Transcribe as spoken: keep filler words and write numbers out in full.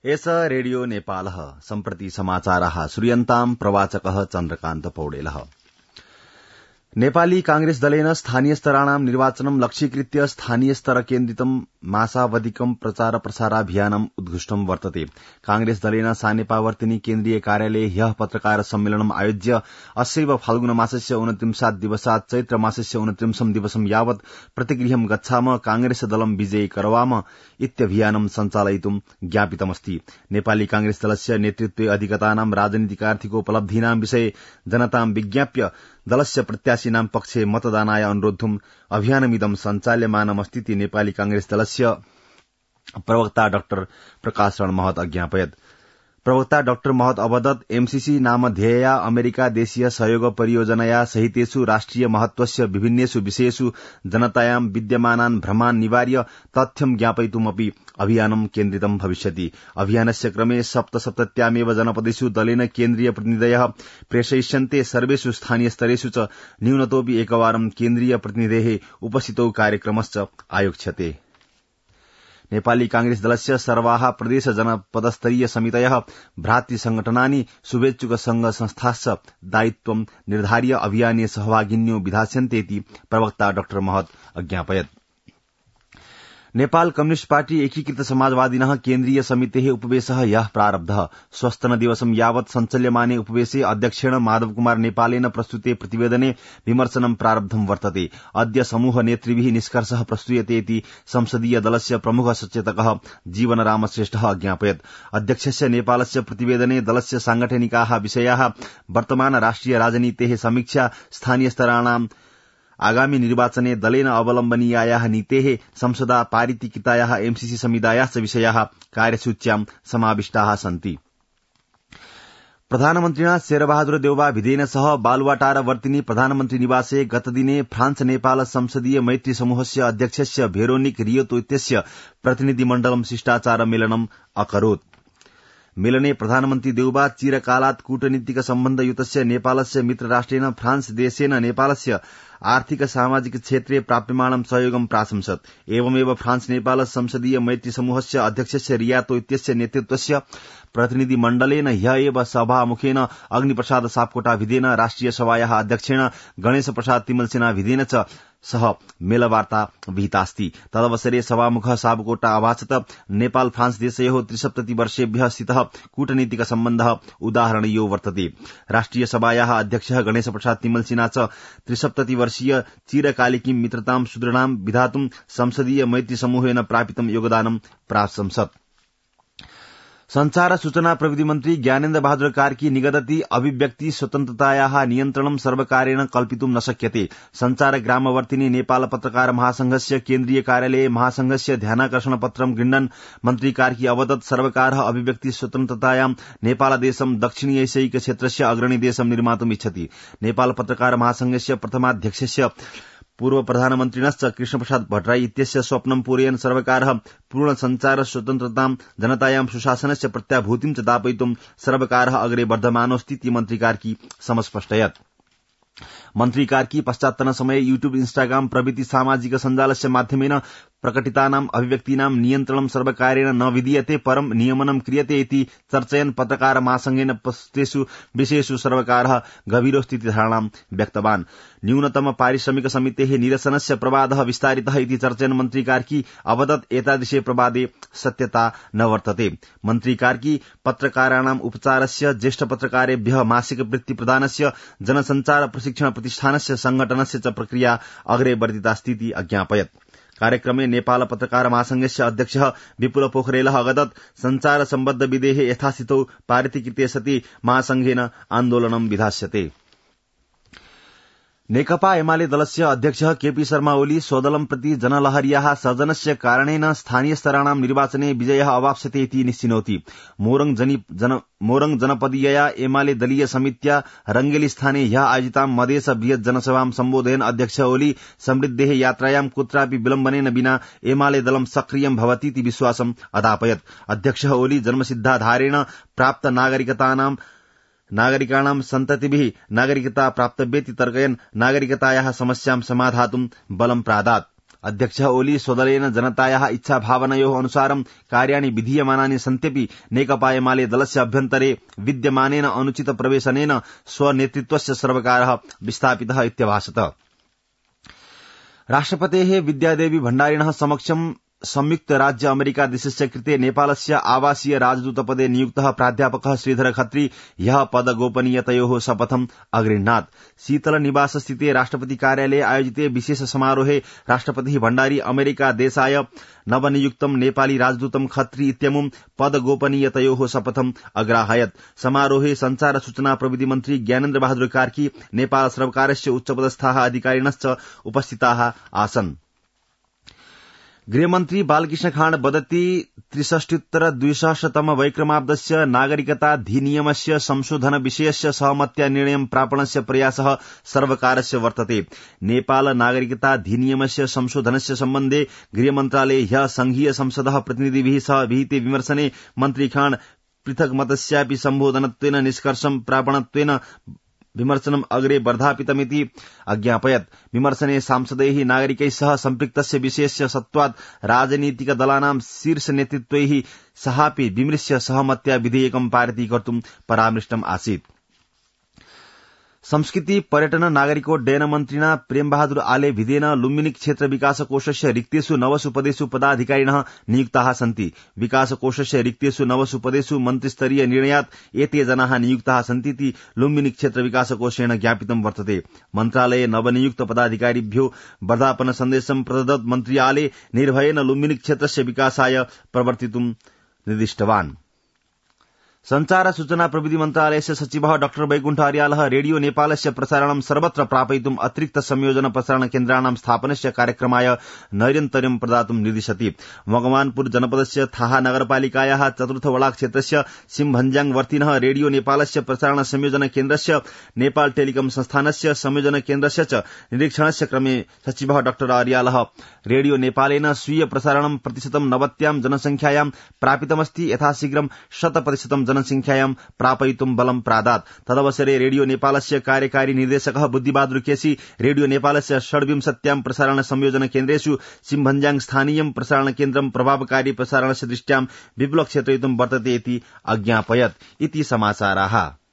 S radio नेपालः सम्प्रति समाचाराः श्रूयन्ताम् प्रवाचकः चन्द्रकान्त पौडेलः। नेपाली कांग्रेस दलेन स्थानीय स्तराणां निर्वाचनं लक्ष्यीकृत्य स्थानीय स्तर केन्द्रितं मासावधिकं प्रचार प्रसाराभियानम् उद्घुष्टं वर्तते। कांग्रेस दलेन सानेपावर्तिनी केन्द्रीय कार्यालये ह्यः पत्रकार सम्मेलनम् आयोज्य अस्यैव फाल्गुन मासस्य उनत्रिंशात् दिवसात् चैत्र मासस्य उनत्रिंशं दिवसं यावत् प्रतिगृहं गच्छाम कांग्रेस दलं विजयी करवाम इत्यभियानं सञ्चालयितुं ज्ञापितमस्ति। नेपाली कांग्रेस दलस्य नेतृत्वे अधिगतानां राजनीतिकार्थिकोपलब्धीनां विषये जनतां विज्ञाप्य दलस्य प्रत्याशिनां पक्षे मतदानाय अनुरोद्धुम् अभियानमिदं सञ्चाल्यमानमस्तीति नेपाली कांग्रेस दलस्य प्रवक्ता डाक्टर प्रकाश रण महत अज्ञापयत्। प्रवक्ता डाक्टर महत अवदत् एमसीसी नामधेयया अमेरिका देशीय सहयोग परियोजनया सहितेषु राष्ट्रिय महत्वस्य विभिन्नेषु विषयेषु जनतायां विद्यमानान् भ्रमान् निवार्य तथ्यं ज्ञापयितुमपि अभियानं केन्द्रितं भविष्यति। अभियानस्य क्रमे सप्तसप्तत्यामेव जनपदेषु दलेन केन्द्रीय प्रतिनिधयः प्रेषयिष्यन्ते। सर्वेषु स्थानीय स्तरेषु च न्यूनतोऽपि एकवारं केन्द्रीय प्रतिनिधेः उपस्थितौ कार्यक्रमश्च आयोक्ष्यते। नेपाली कांग्रेस दलस्य सर्वाः प्रदेश जनपदस्तरीय समितयः भ्रातृ संगठनानि शुभेच्छुक संघ संस्थाश्च दायित्वं निर्धार्य अभियाने सहभागिन्यो विधास्यन्तेति प्रवक्ता डाक्टर महत अज्ञापयत्। नेपाल कम्युनिष्ट पार्टी एकीकृत समाजवादिनः केन्द्रीय समितेः उपवेशः ह्यः प्रारब्धः। स्वस्तन दिवसं यावत् सञ्चाल्यमाने उपवेशे अध्यक्षेण माधव कुमार नेपालेन प्रस्तुते प्रतिवेदने विमर्शनं प्रारब्धं वर्तते। अद्य समूह नेतृभिः निष्कर्षः प्रस्तूयते इति संसदीय दलस्य प्रमुख सचेतकः जीवनराम श्रेष्ठः अज्ञापयत्। अध्यक्षस्य नेपालस्य प्रतिवेदने दलस्य सांगठनिकाः विषयाः, वर्तमान राष्ट्रिय राजनीतेः समीक्षा, स्थानीय स्तराणां आगामी निर्वाचने दलेन अवलम्बनीयायाः नीतेः, संसदा पारितिकितायाः एमसीसी संविधायाश्च विषयाः कार्यसूच्यां समाविष्टाः सन्ति। प्रधानमन्त्रिणा शेरबहादुर देउबा भिदेन सह बालुवाटारवर्तिनी प्रधानमन्त्री निवासे गतदिने फ्रान्स नेपाल संसदीय मैत्री समूहस्य अध्यक्षस्य भेरोनिक रियोतो इत्यस्य प्रतिनिधिमण्डलं शिष्टाचार मेलनम् अकरोत्। मेलने प्रधानमन्त्री देउबा चिरकालात् कूटनीतिक सम्बन्धयुतस्य नेपालस्य मित्रराष्ट्रेण फ्रान्स देशेन नेपालस्य आर्थिक सामाजिक क्षेत्रे प्राप्यमाणं सहयोगं प्राशंसत्। एवमेव फ्रान्स नेपाल संसदीय मैत्री समूहस्य अध्यक्षस्य रियातो इत्यस्य नेतृत्वस्य प्रतिनिधिमण्डलेन ह्य एव सभामुखेन अग्निप्रसाद सापकोटा भिदेन, राष्ट्रिय सभायाः अध्यक्षेण गणेश प्रसाद तिमलसेना भिदेन च सह मेलवार्ता विहितास्ति। तदवसरे सभामुखः सापकोटा अभाषत नेपाल फ्रान्स देशयोः त्रिसप्तति वर्षेभ्यः स्थितः कूटनीतिक सम्बन्धः उदाहरणीयो वर्तते। राष्ट्रिय सभायाः अध्यक्षः गणेश प्रसाद तिमलसेना च त्रिसप्तति वर्षीय चिरकालिकीं मित्रतां सुदृढां विधातुं संसदीय मैत्री समूहेन प्रापितं योगदानं प्राशंसत्। संचार सूचना प्रविधि मन्त्री ज्ञानेन्द्र बहादुर कार्की निगदति अभिव्यक्ति स्वतन्त्रतायाः नियन्त्रणं सर्वकारेण कल्पितुं न शक्यते। संचार ग्रामवर्तिनी नेपाल पत्रकार महासंघस्य केन्द्रीय कार्यालये महासंघस्य ध्यानाकर्षण पत्रं गृह्णन् मन्त्री कार्की अवदत् सर्वकारः अभिव्यक्ति स्वतन्त्रतायां नेपालदेशं दक्षिण एशियायिक क्षेत्रस्य अग्रणी देशं निर्मातुम् इच्छति। नेपाल पत्रकार महासंघस्य प्रथमाध्यक्षस्य पूर्व प्रधानमन्त्रिणश्च कृष्णप्रसाद भट्टराई इत्यस्य स्वप्नं पूरयन् सर्वकारः पूर्ण संचार स्वतन्त्रतां जनतायां सुशासनस्य प्रत्याभूतिं च दापयितुं सर्वकारः अग्रे वर्धमानोऽस्ति मन्त्री कार्की समस्पष्टयत्। मन्त्री कार्की पश्चात्तन समये यूट्यूब, इन्स्टाग्राम प्रभृति सामाजिक सञ्जालस्य माध्यमेन प्रकटितानाम् अभिव्यक्तीनां नियन्त्रणं सर्वकारेण न विधीयते परं नियमनं क्रियते इति चर्चयन् पत्रकार महासंघेन प्रस्तुतेषु विषयेषु सर्वकारः गभीरोस्थिति धारणां व्यक्तवान्। न्यूनतम पारिश्रमिक समितेः निरसनस्य प्रवादः विस्तारितः इति चर्चयन् मन्त्री कार्की अवदत् एतादृशे प्रवादे सत्यता न वर्तते। मन्त्री कार्की पत्रकाराणाम् उपचारस्य, ज्येष्ठ पत्रकारेभ्यः मासिक वृत्ति प्रदानस्य, जनसञ्चार प्रशिक्षण प्रतिष्ठानस्य संघटनस्य च प्रक्रिया अग्रे वर्धितास्तीति अज्ञापयत्। कार्यक्रमे नेपाल पत्रकार महासंघस्य अध्यक्षः विपुल पोखरेलः अवदत् संचार सम्बद्ध विधेः यथास्थितौ पारितीकृते सति महासंघेन आन्दोलनं विधास्यते। नेकपा एमाले दलस्य अध्यक्षः केपी शर्मा ओली स्वदलं प्रति जनलहर्याः सर्जनस्य कारणेन स्थानीय स्तराणां निर्वाचने विजयः अवाप्स्यते इति निश्चिनोति। मोरङ जन मोरङ जनपदीयया एमाले दलीय समित्या रंगेली स्थाने ह्यः आयोजितां मधेस बृहत् जनसभां सम्बोधयन् अध्यक्ष ओली समृद्धेः यात्रायां कुत्रापि विलम्बनेन विना एमाले दलं सक्रियं भवतीति विश्वासम् अदापयत्। अध्यक्षः ओली जन्मसिद्धाधारेण प्राप्त नागरिकतानां नागरिकाणां सन्ततिभिः नागरिकता प्राप्तव्येति तर्कयन् नागरिकतायाः समस्यां समाधातुं बलं प्रादात्। अध्यक्ष ओली स्वदलेन जनतायाः इच्छा भावनयोः अनुसारं कार्याणि विधीयमानानि सन्त्यपि नेकपा एमाले दलस्य अभ्यन्तरे विद्यमानेन अनुचित प्रवेशनेन स्वनेतृत्वस्य सर्वकारः विस्थापितः इत्यभाषत। राष्ट्रपतेः विद्यादेवी भण्डारिणः समक्षं संयुक्त राज्य अमेरिका देशस्य कृते नेपालस्य आवासीय राजदूतपदे नियुक्तः प्राध्यापकः श्रीधर खत्री ह्यः पदगोपनीयतयोः शपथम् अगृह्णात्। शीतल निवास स्थिते राष्ट्रपति कार्यालये आयोजिते विशेष समारोहे राष्ट्रपतिः भण्डारी अमेरिका देशाय नवनियुक्तं नेपाली राजदूतं खत्री इत्यमुं पदगोपनीयतयोः शपथम् अग्राहयत्। समारोहे संचार सूचना प्रविधि मन्त्री ज्ञानेन्द्र बहादुर कार्की नेपाल सर्वकारस्य उच्चपदस्थाः अधिकारिणश्च उपस्थिताः आसन्। गृहमन्त्री बालकृष्ण खाँड वदति त्रिषष्ट्युत्तर द्विसहस्रतम वैक्रमाब्दस्य नागरिकताधिनियमस्य संशोधन विषयस्य सहमत्या निर्णयं प्रापणस्य प्रयासः सर्वकारस्य वर्तते। नेपाल नागरिकताधिनियमस्य संशोधनस्य सम्बन्धे गृहमन्त्रालये ह्यः संघीय संसदः प्रतिनिधिभिः सह विहिते विमर्शने मन्त्री खाँड पृथक् मतस्यापि सम्बोधनत्वेन निष्कर्षं प्रापणत्वेन विमर्शनम् अग्रे वर्धापितमिति अज्ञापयत्। विमर्शने सांसदैः नागरिकैः सह सम्पृक्तस्य विषयस्य सत्त्वात् राजनीतिकदलानां शीर्ष नेतृत्वैः सहापि विमृश्य सहमत्या विधेयकं पारितीकर्तुं परामृष्टम् आसीत्। संस्कृति पर्यटन नागरिकोड्डयन मन्त्रिणा प्रेमबहादुर आले भिदेन लुम्बिनी क्षेत्र विकास कोषस्य रिक्तेषु नवसु पदेषु पदाधिकारिणः नियुक्ताः सन्ति। विकास कोषस्य रिक्तेषु नवसु पदेषु मन्त्रिस्तरीय निर्णयात् एते जनाः नियुक्ताः सन्तीति लुम्बिनी क्षेत्र विकास कोषेण ज्ञापितं वर्तते। मन्त्रालये नवनियुक्त पदाधिकारिभ्यो वर्धापन सन्देशं प्रददत् मन्त्री आले निर्भयेन लुम्बिनी क्षेत्रस्य विकासाय प्रवर्तितुं निर्दिष्टवान्। संचार सूचना प्रविधि मन्त्रालयस्य सचिवः डाक्टर वैकुण्ठ अर्यालः रेडियो नेपालस्य प्रसारणं सर्वत्र प्रापयितुम् अतिरिक्त संयोजन प्रसारण केन्द्राणां स्थापनस्य कार्यक्रमाय नैरन्तर्यं प्रदातुं निर्दिशति। मगवानपुर जनपदस्य थाहा नगरपालिकायाः चतुर्थ वडाक क्षेत्रस्य सिमभञ्जाङ वर्तिनः रेडियो नेपालस्य प्रसारण संयोजन केन्द्रस्य नेपाल टेलिकम संस्थानस्य संयोजन केन्द्रस्य च निरीक्षणस्य क्रमे सचिवः डाक्टर अर्यालः रेडियो नेपालेन स्वीय प्रसारणं प्रतिशतं नवत्यां जनसंख्यायां प्रापितमस्ति, यथाशीघ्रं शत प्रतिशतं जनसंख्यायां प्रापयितुं बलं प्रादात्। तदवसरे रेडियो नेपालस्य कार्यकारी निर्देशकः बुद्धिबहादुर केसी रेडियो नेपालस्य षड्विंशत्यां प्रसारण संयोजन केन्द्रेषु सिमभञ्जाङ स्थानीयं प्रसारण केन्द्रं प्रभावकारी प्रसारणस्य दृष्ट्यां विपुलक्षेत्रयितुं वर्तते इति अज्ञापयत्। इति समाचाराः।